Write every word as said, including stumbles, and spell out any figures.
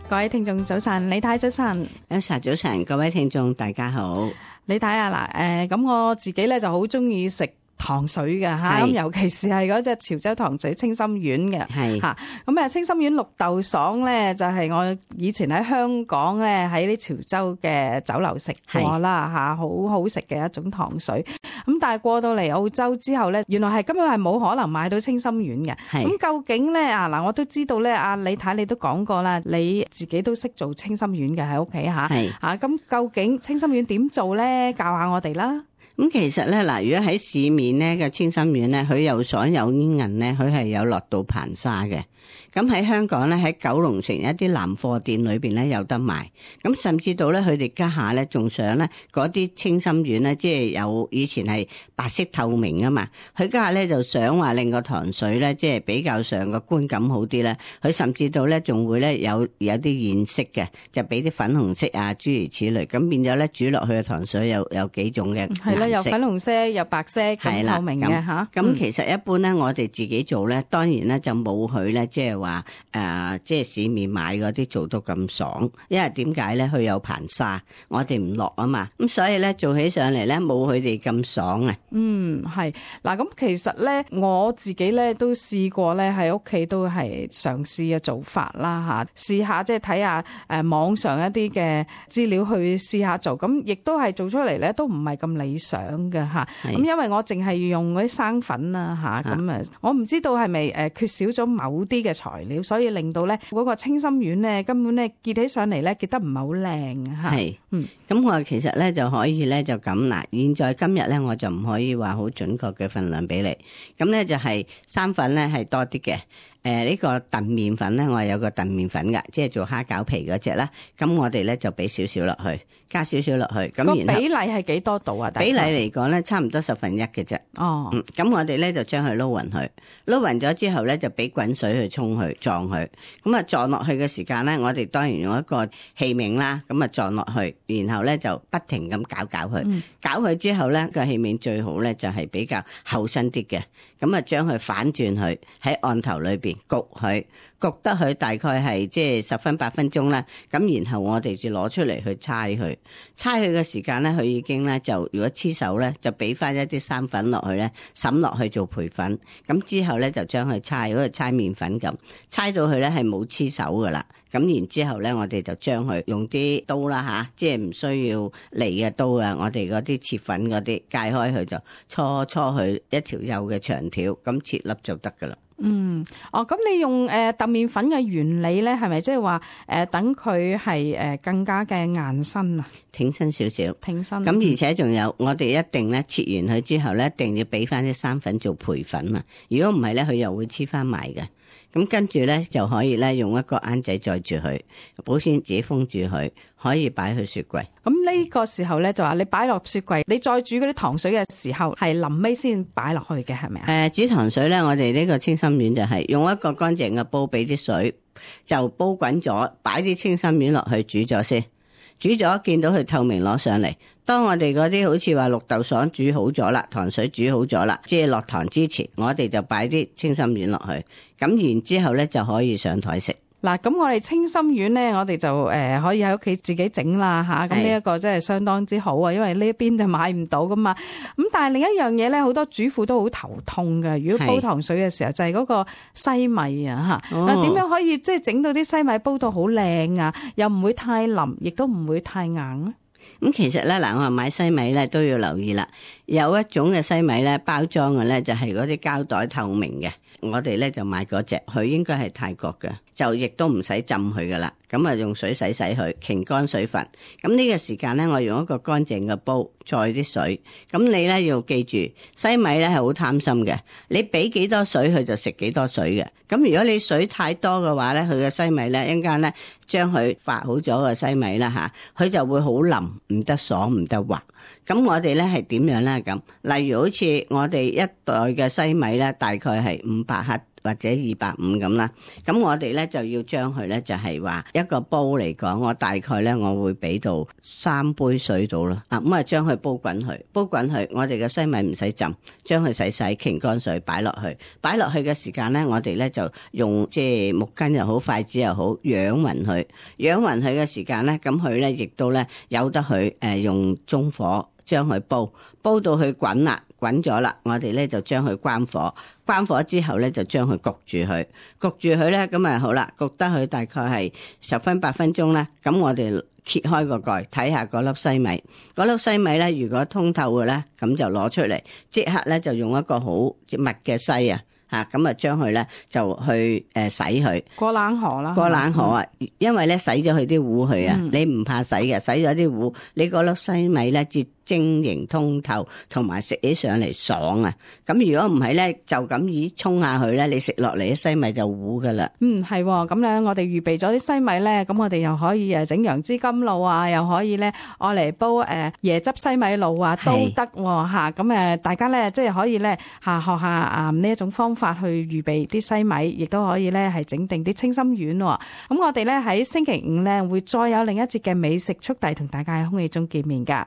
各位聽眾早晨，李太早晨。早晨早晨，各位聽眾大家好。李太啊，嗱，誒，咁我自己咧就好中意食糖水嘅吓，咁尤其是係嗰隻潮州糖水清心丸嘅，係吓，咁啊清心丸綠豆爽咧就係我以前喺香港咧喺啲潮州嘅酒樓食過啦吓，好好食嘅一種糖水。咁但係過到嚟澳洲之後咧，原來係根本係冇可能買到清心丸嘅。咁究竟咧啊嗱，我都知道咧，阿李太你都講過啦，你自己都識做清心丸嘅喺屋企吓，吓，咁究竟清心丸點做咧？教下我哋啦。咁其實咧嗱，如果喺市面咧嘅清心丸咧，佢有所有煙韌咧，佢係有落到硼砂嘅。咁喺香港咧，喺九龍城一啲南貨店裏邊咧有得賣。咁甚至到咧，佢哋家下咧仲想咧嗰啲清心丸咧，即係有以前係白色透明啊嘛。佢家下咧就想話令個糖水咧，即係比較上個觀感好啲咧。佢甚至到咧仲會咧有有啲現色嘅，就俾啲粉紅色啊諸如此類。咁變咗咧煮落去嘅糖水有有幾種嘅係啦，有粉紅色、有白色、咁透明嘅嚇。咁、嗯、其實一般咧，我哋自己做咧，當然咧就冇佢咧，即係話誒，即係市面買嗰啲做到咁爽。因為點解咧？佢有硼砂，我哋唔落啊嘛。咁所以咧做起上嚟咧冇佢哋咁爽啊。嗯，係嗱。咁其實咧我自己咧都試過咧喺屋企都係嘗試嘅做法啦嚇，試下即係睇下誒網上一啲嘅資料去試下做，咁亦都係做出嚟咧都唔係咁理想嘅嚇。咁因為我淨係用嗰啲生粉啦嚇，咁啊我唔知道係咪誒缺少咗某啲嘅材料，所以令到咧嗰個清心丸咧根本咧結起上嚟咧結得唔係好靚嚇。係，嗯，咁我其實咧就可以咧就咁嗱，現在今日咧我就唔可以話好準確嘅份量俾你，咁咧就係生粉咧係多啲嘅。誒、呃、呢、這個燉麵粉咧，我係有個燉麵粉㗎，即係做蝦餃皮嗰隻啦。咁我哋咧就俾少少落去，加少少落去。咁個比例係幾多度啊？比例嚟講咧，差唔多十分一嘅啫。哦，嗯，咁我哋咧就將佢撈勻佢，撈勻咗之後咧就俾滾水去沖佢撞佢。咁啊撞落去嘅時間咧，我哋當然用一個器皿啦，咁啊撞落去，然後咧就不停咁攪攪佢，嗯、攪佢之後咧個器皿最好咧就係比較厚身啲嘅。咁啊將佢反轉佢喺案頭裏邊。焗佢焗得佢大概係即係十分八分鐘啦，咁然後我哋就攞出嚟去搓佢，搓佢嘅時間咧，佢已經咧就如果黐手咧，就俾翻一啲生粉落去咧，滲落去做培粉，咁之後咧就將佢搓，好似搓麵粉咁，搓到佢咧係冇黐手噶啦，咁然之後咧我哋就將佢用啲刀啦吓，即係唔需要利嘅刀啊，我哋嗰啲切粉嗰啲界開佢就搓搓佢一條幼嘅長條，咁切粒就得噶啦。嗯，哦，咁你用誒揼麵粉嘅原理咧，係咪即係話誒等佢係誒更加嘅硬身啊？挺身少少，挺身。咁而且仲有，我哋一定咧切完佢之後咧，一定要俾翻啲生粉做培粉啊！如果唔係咧，佢又會黐翻埋嘅。咁跟住咧就可以咧用一個罌仔載住佢，保鮮紙封住佢，可以擺去雪櫃。咁呢個時候咧就話你擺落雪櫃，你再煮嗰啲糖水嘅時候係臨尾先擺落去嘅，係咪啊？誒、呃，煮糖水咧，我哋呢個清心丸就係用一個乾淨嘅煲，俾啲水就煲滾咗，擺啲清心丸落去煮咗先。煮咗見到佢透明攞上嚟，當我哋嗰啲好似話綠豆爽煮好咗啦，糖水煮好咗啦，即係落糖之前，我哋就擺啲清心丸落去，咁然之後咧就可以上台食。嗱，咁我哋清心丸咧，我哋就誒、呃、可以喺屋企自己整啦吓，咁呢一個真係相當之好啊，因為呢一邊就買唔到噶嘛。咁但係另一樣嘢咧，好多主婦都好頭痛嘅。如果煲糖水嘅時候，就係、是、嗰個西米啊吓。嗱、哦，點樣可以即係整到啲西米煲到好靚啊？又唔會太腍，亦都唔會太硬啊？咁其實咧，嗱，我話買西米咧都要留意啦。有一種嘅西米咧，包裝嘅咧就係嗰啲膠袋透明嘅。我哋咧就買嗰隻，佢應該係泰國嘅，就亦都唔使浸佢噶啦。咁啊用水洗洗佢，擎乾水分。咁呢個時間咧，我用一個乾淨嘅煲載啲水。咁你咧要記住，西米咧係好貪心嘅，你俾幾多水佢就食幾多水嘅。咁如果你水太多嘅話咧，佢嘅西米咧一陣間咧將佢發好咗嘅西米啦吓，佢就會好腍，唔得爽，唔得滑。咁我哋咧係點樣咧？啦咁。例如好似我哋一袋嘅西米咧，大概係五百克或者二百五咁啦。咁我哋咧就要將佢咧就係話一個煲嚟講，我大概咧我會俾到三杯水到啦。啊咁啊，將佢煲滾佢，煲滾佢。我哋嘅西米唔使浸，將佢洗洗傾乾水擺落去，擺落去嘅時間咧，我哋咧就用即係木巾又好，筷子又好，養勻佢，養勻佢嘅時間咧，咁佢咧亦都咧由得佢誒用中火將佢煲，煲到佢滾啦，滾咗啦，我哋咧就將佢關火，關火之後咧就將佢焗住佢，焗住佢咧咁啊好啦，焗得佢大概係十分八分鐘啦，咁我哋揭開個蓋睇下嗰粒西米，嗰粒西米咧如果通透嘅咧，咁就攞出嚟，即刻咧就用一個好密嘅篩啊。吓咁啊，將佢咧就去誒洗佢過冷河啦，過冷河啊，嗯、因為咧洗咗佢啲糊去啊，嗯、你唔怕洗嘅，洗咗啲糊，你嗰粒西米咧至晶瑩通透，同埋食起上嚟爽啊！咁如果唔係咧，就咁以沖下去咧，你食落嚟啲西米就糊噶啦。嗯，係咁樣，我哋預備咗啲西米咧，咁我哋又可以誒整楊枝甘露啊，又可以咧愛嚟煲誒椰汁西米露啊，都得吓。咁誒，大家咧即係可以咧吓學下啊呢一種方法去預備啲西米，亦都可以咧係整定啲清心丸。咁我哋咧喺星期五咧會再有另一節嘅美食速遞同大家喺空氣中見面噶。